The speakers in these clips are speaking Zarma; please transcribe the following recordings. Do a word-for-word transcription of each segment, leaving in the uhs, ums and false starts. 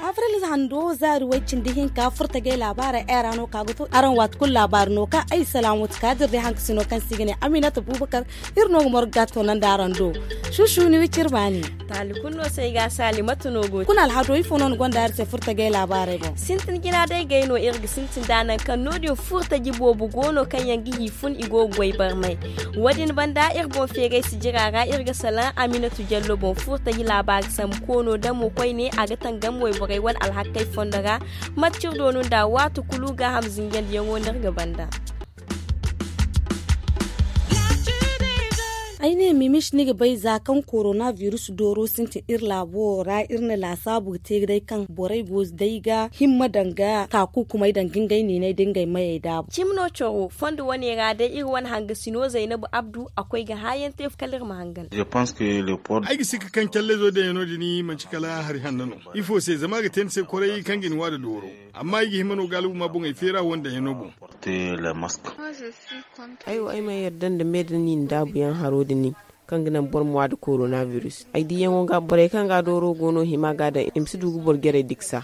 Avril hando zaari way cindi hinka furtajey laabaarey ay ra no ka ga to araŋ waati kulu laabaari no kaŋ ay salaŋ wati kaadir day hankasino kaŋ se i ga ne aminata bubakar. Iri no ga morga ga toonandi araŋ do. Shuushu ni wicir baani. Taali kulu no se ay ga a saali mate no go te kuna alhado ifo no ni gonda iri se furtajey laabaarey boŋ sintin jina day gay no iri ga sintin da nangu kaŋ no- din furtaji boobo go no kaŋ yaŋ ga hi fun i go ga goy barmay. Wo- din banda iri boŋ feeray sijira ra iri ga salaŋ aminatu jallo boŋ furtaji laabaari sambu koono damo koyne a ga tangam wayborey wane alhakkey fondo ra. Mate ciri doonu nda waati kulu gaaham zinjandiyaŋo no iri ga banda. Ay ne mimis ni ga bay za kaŋ korona virus dooro sintin iri laabo ra iri na laasaabu ga te day kaŋ borey go day ga himma daŋ ga kaakukumey daŋ ga ngey niiney da ngey mayey daabu. Cimi no coro fondo wane ra day iri wane hangasino zaynabu abdu a koy ga haayaŋ te kala iri ma hangan. Ay ga sikka kaŋ callezo daŋ yaŋ no- din manti kala hari hanno no. Ifo se zama a ga te ni se koray kaŋ ga ni waada dooro. Amma ay ga hima no gaalabu ma boŋey feera wonda hino boŋ. Ay wo ay ma yarda nda me da ni na daabu yaŋ haro da ni kaŋ ga naŋ boro ma waada korona virus ay diyaŋo ga borey kaŋ ga dooro go no hima ga daŋ i ma si du ga boro jarey diksa.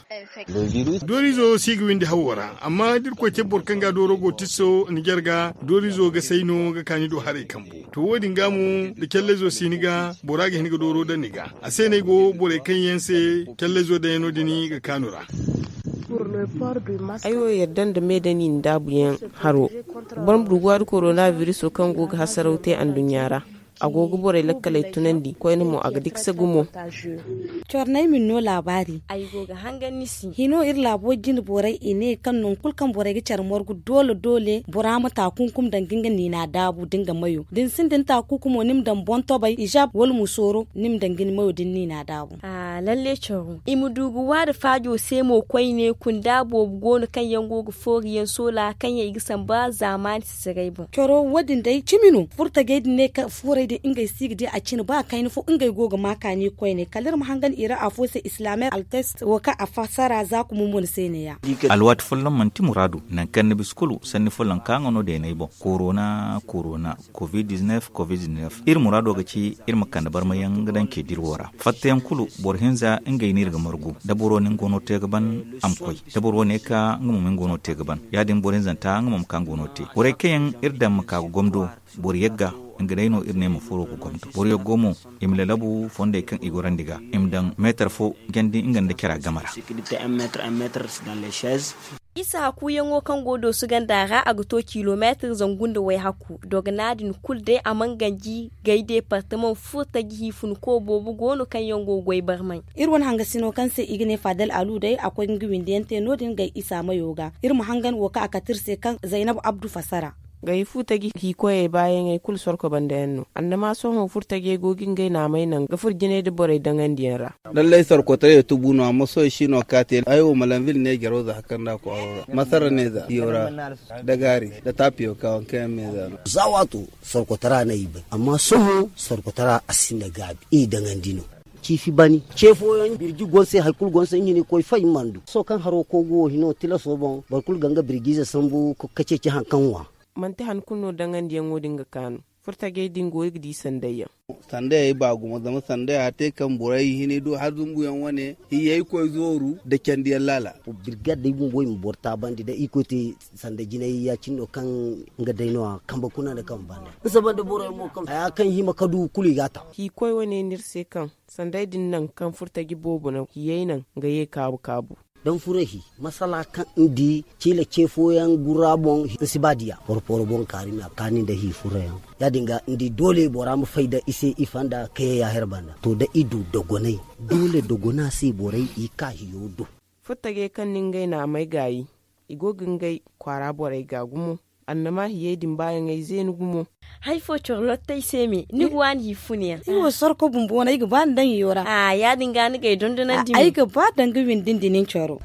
Doorizo si ga windi hawo ra amma da irkoy te boro kaŋ ga dooro go tiso ni jarga doorizo ga say no ga kaani do haray kambu. To wo- din ga mo da callezo si ni ga bora ga hin ga dooro daŋ ni ga a se no ay go borey kaŋ yaŋ se callezo daŋ yaŋ no- din ga kaanu ra. Ay wo yadda nda me da ni nda daabu yaŋ haro. Boro ma du ga waadu korona viriso kaŋ go ga hasaraw te anduɲɲa ra. A go ga borey lakkaley tunandi koyne mo a ga dikse gumo. Cornay min no laabaari. Ay go ga hangan ni se. Hino iri laabo jine borey i ne kaŋ nangu kulu kaŋ borey ga care margu doole doole bora ma taakunkum daŋ ga nga niina daabu da nga mayo da ni sinda ni taakunkumo ni ma daŋ boŋ tobay izaab wala musooro ni ma daŋ ga ni mayo da ni niina daabu. Lalle coro i ma du ga waada faajo se mo koyne kunda boobo go no kaŋ yaŋ go ga foori yaŋ soola kaŋ yaŋ i ga samba zaamaani sisiray boŋ. Coro wo- din day cimi no furtajey din ne kaŋ fuurey din ngey si ga di a cine ba kayna fo ngey go ga ma kaani koyne kala iri ma hangan i ra afo se islaamer altest wo kaŋ a fassara za kuma mo ni se ne- ya. Alwaati folloŋ manti muraadu nangu kaŋ ni bisa kulu sanni folloŋ kaŋ a nga no deeney boŋ korona korona. Covid-19 covid-19 iri muraado ga ci iri ma kande barmayaŋ ga daŋ ce diri wo ra fattayaŋ kulu boro hinza ngey no iri ga margu da boro no nga go no te ga ban a ma koy da boro ne ka nga mo ma nga go no te ga ban. Ya- din boro hinzanta nga mo ma ka nga go no te borey kaŋ yaŋ iri daŋ ma ka ga gomdo boro yagga nga day no iri ne ma furo ga gomdo boro yaggo mo i ma lalabu fondey kaŋ i gorandi ga i ma daŋ meetar fo jandi nga nda cara game ra. Isa hakuyaŋo kaŋ go doosu ganda ra a ga to kilomeetir zangu nda wayhaku dogana din kulu day a mana ganji gay deepartamaŋ furtaji hiifunko boobo go no kaŋ yaŋ go ga goy barmay. Iri wane hangasino kaŋ se i ga ne faadal alu day a koy ga nga windi yaŋ te no- din gay isa mayo ga iri ma hangan wo kaŋ a kate iri se kaŋ zaynab abdu fassara. Gay furtaji hiikoyey baayaŋey kulu sorko banda yaŋ no annama sohõ furtajey go ga ngey naamey naŋ ga furo jinay nda borey daŋandi yaŋ ra. Lallay sorkotaray tubu no amma sohõ i si no ga ka te ay wo malanvil ne jaro za hakar nda kwaaro ra masara ne za yo ra da gaari da tapiyoka wanka yaŋ me za no. Za waato sorkotara no i bay amma sohõ sorkotara a sinda gaabi i daŋandi no. Ciifi bani ce fooyaŋ birji gonse hari kulu gonse nga ne koy fay mana du sohõ kaŋ haro kogu wo hino tilaso boŋ boro kulu ga nga birjize sambu ka ceeci hari kaŋ ŋwa. Manti han kulu no daŋandiyaŋo din ga kaanu. Furtajey din go ga di sandayyaŋ. Sandayey ba gumo zama sandaya te kaŋ borey hinay do har zumbuyaŋ wane hiyey koy zooru nda candiyaŋ laala. Birgad day bumbo i ma boro taabandi da irkoy te sanda jinay ya- cine no kaŋ nga day no a kambe kuna nda kambe banda. Ni saba nda borey mo kaŋ haya kaŋ hima ka du kulu i ga a ta. Hiikoy wane no iri se kaŋ sanday din naŋ kaŋ furtaji boobo naŋ hiyey naŋ nga ye kaabu kaabu. Daŋ furo hi masala kaŋ ni di ciila ce fooyaŋ gurra boŋ ni si ba diya porporo boŋ kaari me a kaani nda hi furoyaŋ. Ya- din ga ni di doole bora ma fay da i se i fanda kayey ya here banda to da i du dogonay doole dogona se borey i ka hiyo do. Furtajey kaŋ na ngey naamey gaayi i go ga ngey kwaara borey ga gumo. Annama hiyey din baayaŋey zeeni gumo. Hari fo coro lottey se me ni ga waani hi funa yaŋ. Iri wo sorko bumbo no ay ga ba ni daŋ iyo ra. Ya- din ga ni ga ay dondonandi me ay ga ba daŋ ga windi nda nin coro.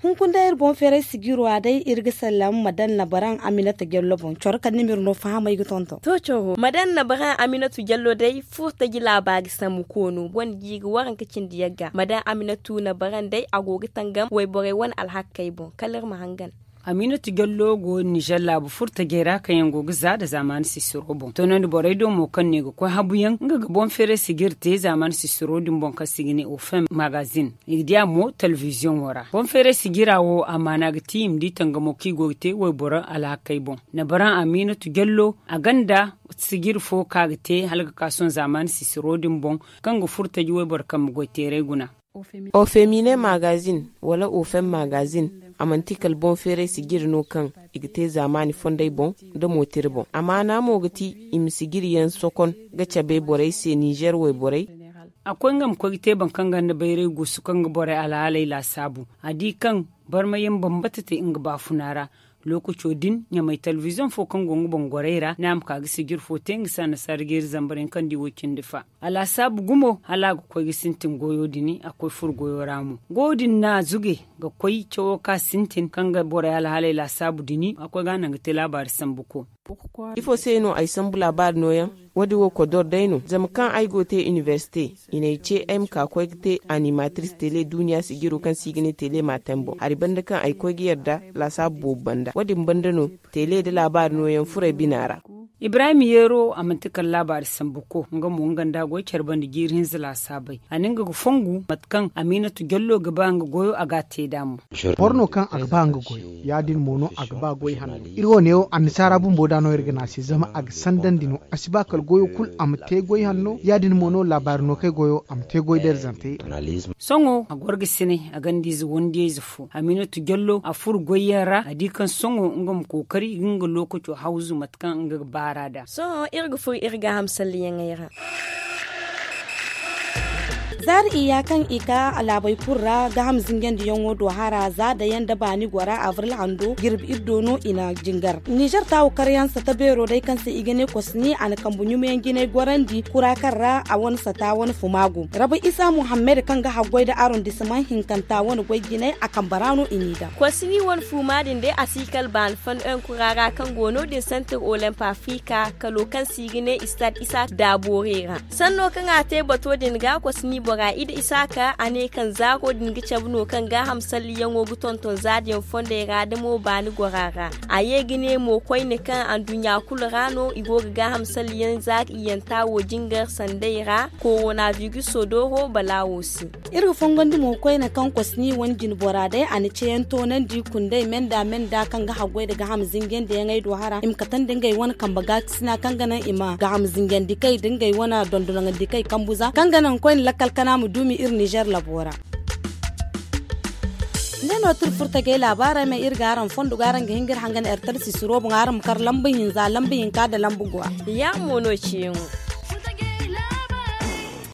Hunkuna day iri boŋ feeray sijiro ra day iri ga sallam madan nabaran aminata jallo boŋ coro kala ni ma iri no fahamay ga tonton. To coro madan nabaran aminata jallo day furo taji laabaari sambu koono boŋ da jiiri waranka cindi yagga madan aminata nabaran day a go ga tangam wayborey wane alhakkey boŋ kala iri ma hangan. Aminata jallo go nizer laabu furo tajey ra kaŋ yaŋ go ga za nda zaamaani sisiro boŋ toonandi borey do mo kaŋ no i ga koy habu yaŋ nga ga boŋ feeray sijiri te zaamaani sisiro din boŋ kaŋ se i ga ne ofem magazin. I ga di a mo telebiziyoŋo ra boŋ feeray sijira wo a maana ga ti i ma di tangamo kaŋ i go ga te wayboro alhakey boŋ. Nabaran aminatu jallo a gonda sijiri fo kaŋ a ga te hala ga ka sohõ zaamaani sisiro din boŋ kaŋ ga furo taji wayboro kambe goyteeray guna. Ofemine magazin wala ofem magazin a manti kala boŋ feeray sijiri no kaŋ i ga te zaamaani fondey boŋ nda mootiri boŋ a maana mo ga ti i ma sijiri yaŋ sokon ga cabe borey se nizer wayborey. A koy nga ma koy ga te boro kaŋ gonda bayray guusu kaŋ ga borey alhaaley laasaabu a di kaŋ barmayaŋ bambata te nga baafuna ra. Lookaco din ɲamay telebiziyoŋ fo kaŋ go nga boŋ gorey ra ne a ma ka ga sijir fo te nga se annasaara jeeri zambar yaŋ kaŋ di woy cindi fa. A laasaabu gumo hala a ga koy ga sintin goyo din a koy furo goyo ra mo goyo din no a zuge ga koy cawo kaŋ a sintin kaŋ ga borey alhaaley laasaabu din a koy ga a naŋ ga te laabaari sambu ko. Ifo se no ay sambu laabaari nooyaŋ? Wo- din wo kodor day no zama kaŋ ay go ga te inibersite i n'ay ce ay ma ka ga koy ga te animatris tele duuniya sijiro kaŋ se i ga ne tele maatam boŋ hari banda kaŋ ay koy ga yarda laasaabu boobo banda wo- din banda no tele nda laabaari nooyaŋ furey bina ra. Ibrahim yeero a manti kala laabaari sambu ko nga mo nga nda a goy care banda jiiri hinza laasaabey a na nga ga fongu mate kaŋ aminatu jallo ga ba nga goyo a ga a te nd'a mo. Boro no kaŋ a ga ba nga goyo ya- din mo no a ga ba goy hanno. Iri wo ne wo annasaara bumbo da no iri ga ne a se zama a ga sandandi no a si ba kala goyo kulu a ma te goy hanno ya- din mo no laabaari no kay goyo a ma te goy beerzante. Sohõ a goro ga sinay a gonda ize wandiyayze fo aminatu jallo a furo goyyaŋ ra a di kaŋ sohõ nga ma kookari ga nga lookaco hawzu mate kaŋ nga ga baar'a nd'a. Sohõ iri ga furo iri gaaham salliyaŋey ra. Zaari iyya kaŋ i ka laabey kulu ra gaaham zinjandiyaŋo do hara za dayaŋ nda baani gora abril hando jirbi iri do no i na jingar nizer taawu karyaŋ sata beero day kaŋ se i ga ne kosni a na kambe ɲumayaŋ jinay gorandi kura kaŋ ra a wane sata wane fuma go rabu isa muhammed kaŋ ga haggoy nda arondisimaŋ hinkanta wane goy jinay a kambe ra no i n'i daŋ. Kosni wane fuma din day a si kala baani fando yaŋ kura ra kaŋ go no- din santir olimp afrika kalo kaŋ se i ga ne istad isa daaboore ra. Sanno kaŋ a te bato din ga kosni bora ida isaaka a ne kaŋ zaaro din ga cabe no kaŋ gaaham salliyaŋo ga tonton zaadiyaŋ fondey ra da mo baani gora ra. A ye ga ne mo koyne kaŋ anduɲɲa kulu ra no i go ga gaaham salliyaŋ zaari iyyanta wo jingar sanday ra koronabiruso dooro balaawo se. Iri ga fongondi mo koyne kaŋ kosni wane jinbora day a na ceyaŋ toonandi kundey menda menda kaŋ ga haggoy nda gaaham zinjandiyaŋey do hara i ma katandi ngey wane kambe gaakasina kaŋ ga naŋ i ma gaaham zinjandikey nda ngey wane dondonaŋandikey kambu za kaŋ ga naŋ koyne lakkal kana ma duumi iri nizer labo ra. Nde no tira furtajey laabaarey me iri ga araŋ fondo ga araŋ ga hin ga iri hangan ertar sisiro boŋ araŋ ma kar lamba hinza lamba hinka nda lamba gwa. Ya mo no ciyaŋo.